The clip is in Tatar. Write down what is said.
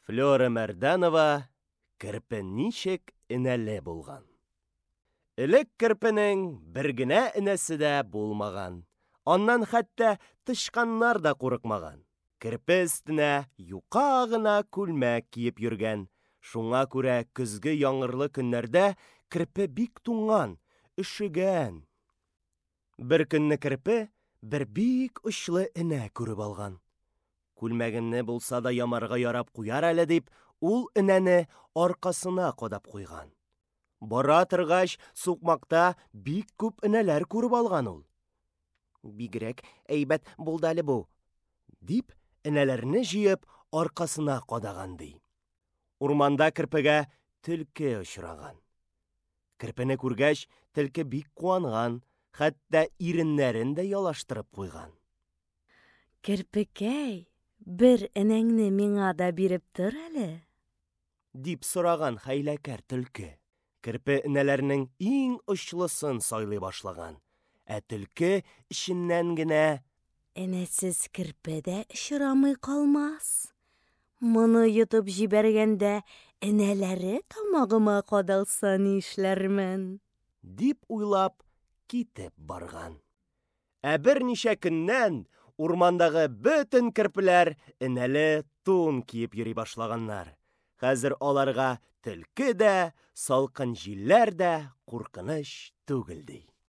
Флера Мәрдәнова Керпе ничек энәле булган. Элек керпенең бер генә энәсе дә булмаган. Аннан хәтта тычканнар да курыкмаган. Керпе өстенә юка гына күлмәк киеп йөргән. Шуңа күрә көзге яңгырлы көннәрдә керпе бик туңган, өшегән. Бер көнне керпе бер бик очлы энә күреп алган. Күлмәгемне булса да ямарга ярап куяр әле дип, ул энәне аркасына кадап куйган. Бара торгач, сукмакта бик күп энәләр күреп алган ул. Бигрәк әйбәт булды әле бу, дип, энәләрне җыеп, аркасына кадаган ди. Урманда керпегә төлке очраган. Керпене күргәч, төлке бик куанган, хәтта иреннәрен дә ялаштырып куйган. Керпекәй, бер энәңне миңа да биреп тор әле. Дип сораган хәйләкәр төлке. Керпе энәләрнең иң очлысын сайлый башлаган. Ә төлке эченнән генә: Энәсез керпе дә очрамый калмас. Моны йотып җибәргәндә энәләре тамагыма кадалса нишләрмен? Дип уйлап китеп барган. Ә берничә көннән урмандагы бөтен керпеләр энәле тун киеп йөри башлаганнар. Хәзер аларга төлке дә, салкын җилләр дә куркыныч түгел ди.